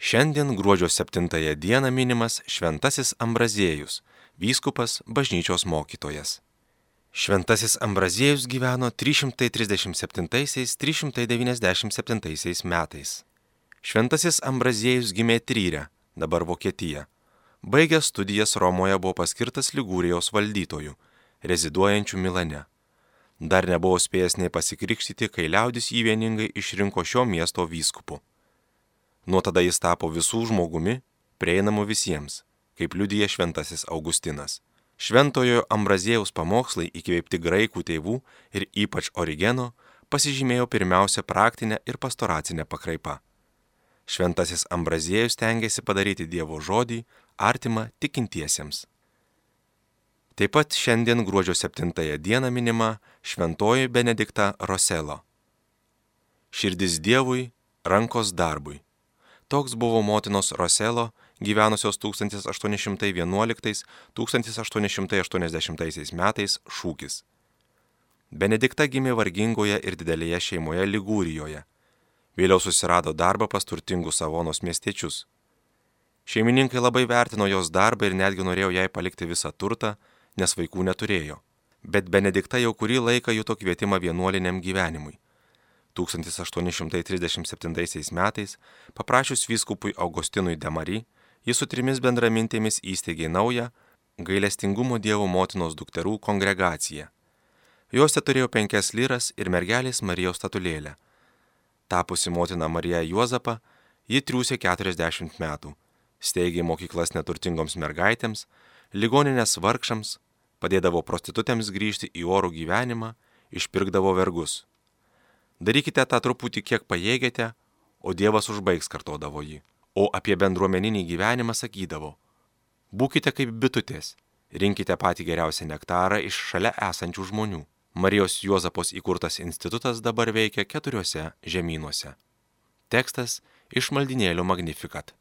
Šiandien gruodžio 7 dieną minimas Šventasis Ambraziejus, vyskupas, bažnyčios mokytojas. Šventasis Ambraziejus gyveno 337–397 metais. Šventasis Ambraziejus gimė Tryre, dabar Vokietija. Baigęs studijas Romoje buvo paskirtas Ligūrijos valdytoju, reziduojančiu Milane. Dar nebuvo spėjęs nei pasikrikštyti, kai liaudis jį vieningai išrinko šio miesto vyskupu. Nuo tada jis tapo visų žmogumi, prieinamu visiems, kaip liudija Šventasis Augustinas. Šventojo Ambraziejaus pamokslai įkvėpti graikų tėvų ir ypač Origeno pasižymėjo pirmiausia praktinę ir pastoracinę pakraipą. Šventasis Ambraziejus stengėsi padaryti Dievo žodį artimą tikintiesiems. Taip pat šiandien gruodžio 7 dieną minima Šventoji Benedikta Roselo. Širdis Dievui, rankos darbui. Toks buvo motinos Roselo, gyvenusios 1811–1880 metais šūkis. Benedikta gimė vargingoje ir didelėje šeimoje Ligūrijoje. Vėliau susirado darbą pas turtingus Savonos miestiečius. Šeimininkai labai vertino jos darbą ir netgi norėjo jai palikti visą turtą, nes vaikų neturėjo. Bet Benedikta jau kurį laiką juto kvietimą vienuoliniam gyvenimui. 1837 metais, paprašius vyskupui Augustinui de Mari, jis su 3 bendramintėmis įsteigė naują gailestingumo Dievo motinos dukterų kongregaciją. Jose turėjo 5 lyras ir mergelės Marijos statulėlę. Tapusi motina Marija Juozapą, ji triūsė 40 metų, steigė mokyklas neturtingoms mergaitėms, ligoninės vargšams, padėdavo prostitutėms grįžti į orų gyvenimą, išpirkdavo vergus. Darykite tą truputį, kiek pajėgėte, o Dievas užbaigs, kartodavo ji. O apie bendruomeninį gyvenimą sakydavo: būkite kaip bitutės, rinkite patį geriausią nektarą iš šalia esančių žmonių. Marijos Juozapos įkurtas institutas dabar veikia 4 žemynuose. Tekstas iš maldynėlio Magnificat.